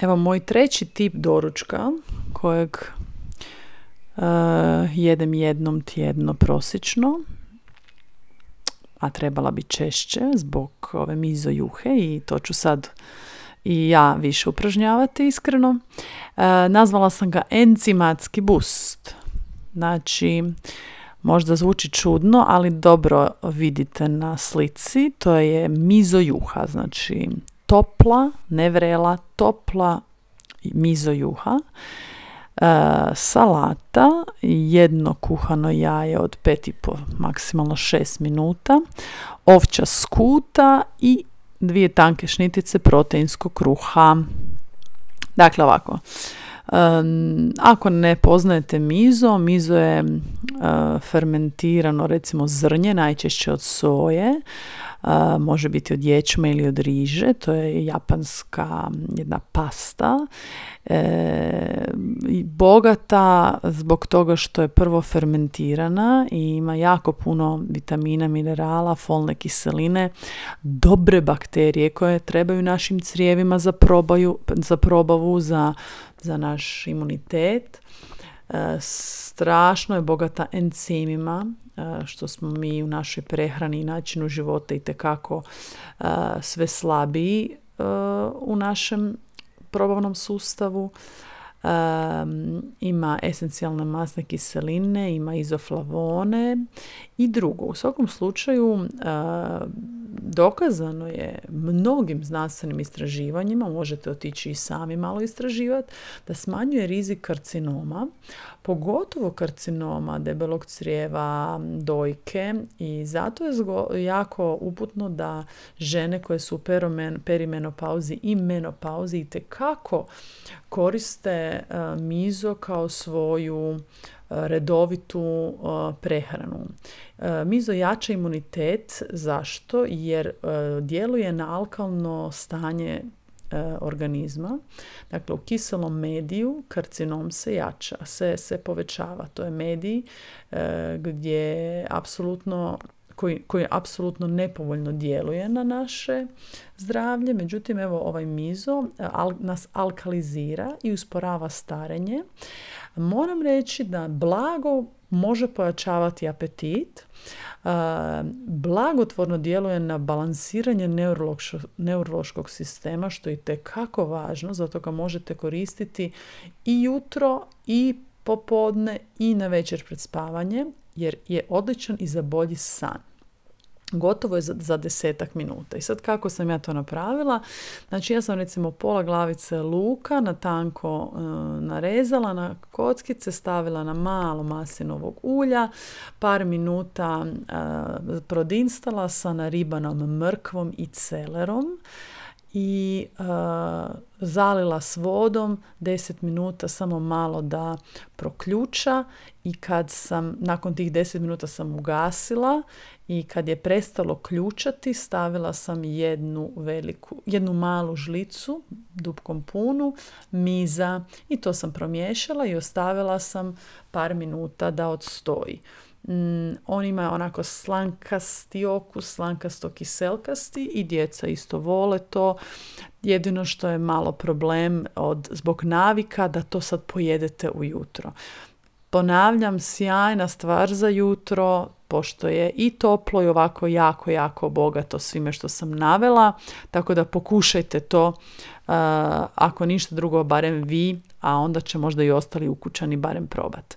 Evo moj treći tip doručka kojeg jedem jednom tjedno prosječno, a trebala bi češće zbog ove mizo juhe i to ću sad i ja više upražnjavati iskreno. Nazvala sam ga enzimatski boost. Znači, možda zvuči čudno, ali dobro vidite na slici. To je mizo juha, znači topla, ne vrela, topla mizo juha. Salata, jedno kuhano jaje od 5,5, maksimalno 6 minuta, ovčja skuta i 2 tanke šnitice proteinskog kruha. Dakle, ovako. Ako ne poznajete mizo je fermentirano, recimo zrnje, najčešće od soje, može biti od ječma ili od riže, to je japanska jedna pasta, bogata zbog toga što je prvo fermentirana i ima jako puno vitamina, minerala, folne kiseline, dobre bakterije koje trebaju našim crijevima za probavu, za naš imunitet. Strašno je bogata encimima, što smo mi u našoj prehrani i načinu života itekako sve slabiji u našem probavnom sustavu. Ima esencijalne masne kiseline, ima izoflavone i drugo. U svakom slučaju dokazano je mnogim znanstvenim istraživanjima, možete otići i sami malo istraživati, da smanjuje rizik karcinoma, pogotovo karcinoma debelog crijeva, dojke, i zato je jako uputno da žene koje su u perimenopauzi i menopauzi itekako koriste mizo kao svoju redovitu prehranu. Mizo jača imunitet. Zašto? Jer djeluje na alkalno stanje organizma. Dakle, u kiselom mediju karcinom se jača, se povećava. To je medij gdje koji apsolutno nepovoljno djeluje na naše zdravlje. Međutim, evo ovaj mizo nas alkalizira i usporava starenje. Moram reći da blago može pojačavati apetit, blagotvorno djeluje na balansiranje neurološkog sistema, što je itekako važno, zato ga možete koristiti i jutro i popodne i na večer pred spavanje, jer je odličan i za bolji san. Gotovo je za 10 minuta. I sad kako sam ja to napravila? Znači, ja sam recimo pola glavice luka na tanko narezala na kockice, stavila na malo maslinovog ulja, par minuta prodinstala sa naribanom mrkvom i celerom i zalila s vodom 10 minuta, samo malo da proključa, i kad sam nakon tih 10 minuta sam ugasila i kad je prestalo ključati, stavila sam jednu malu žlicu dupkom punu miza i to sam promiješala i ostavila sam par minuta da odstoji. On ima onako slankasti okus, slankasto kiselkasti, i djeca isto vole to. Jedino što je malo problem zbog navika da to sad pojedete ujutro. Ponavljam, sjajna stvar za jutro, pošto je i toplo i ovako jako, jako bogato svime što sam navela, tako da pokušajte to, ako ništa drugo, barem vi, a onda će možda i ostali ukućani barem probati.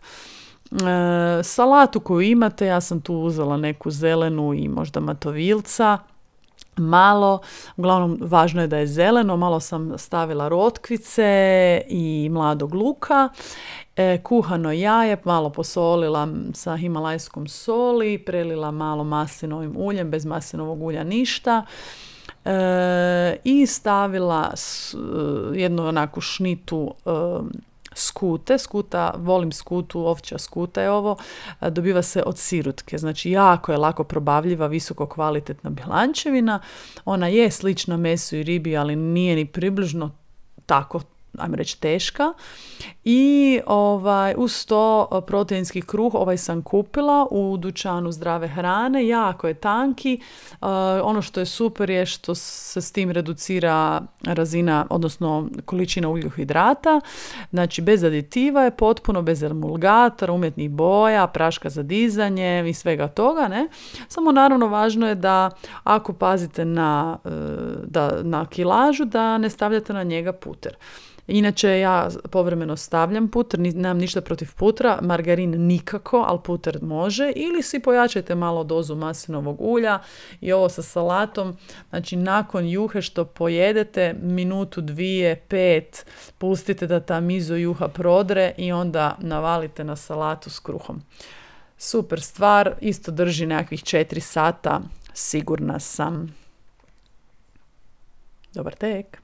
Salatu koju imate, ja sam tu uzela neku zelenu i možda matovilca, malo, uglavnom važno je da je zeleno, malo sam stavila rotkvice i mladog luka, kuhano jaje, malo posolila sa himalajskom soli, prelila malo maslinovim uljem, bez maslinovog ulja ništa, i stavila jednu onako šnitu skuta, volim skutu, ovčja skuta je ovo, dobiva se od sirutke, znači jako je lako probavljiva, visoko kvalitetna bjelančevina, ona je slična mesu i ribi, ali nije ni približno tako ajmo reći, teška. I uz to proteinski kruh sam kupila u dućanu zdrave hrane, jako je tanki. Ono što je super je što se s tim reducira razina, odnosno količina ugljikohidrata, znači bez aditiva je potpuno, bez emulgatora, umjetnih boja, praška za dizanje i svega toga, ne? Samo naravno važno je da ako pazite na kilažu, da ne stavljate na njega puter. Inače, ja povremeno stavljam puter, nemam ništa protiv putra, margarin nikako, ali puter može, ili si pojačajte malo dozu maslinovog ulja i ovo sa salatom, znači nakon juhe što pojedete, minutu, 2, 5, pustite da ta mizo juha prodre i onda navalite na salatu s kruhom. Super stvar, isto drži nekakvih 4 sata, sigurna sam. Dobar tek!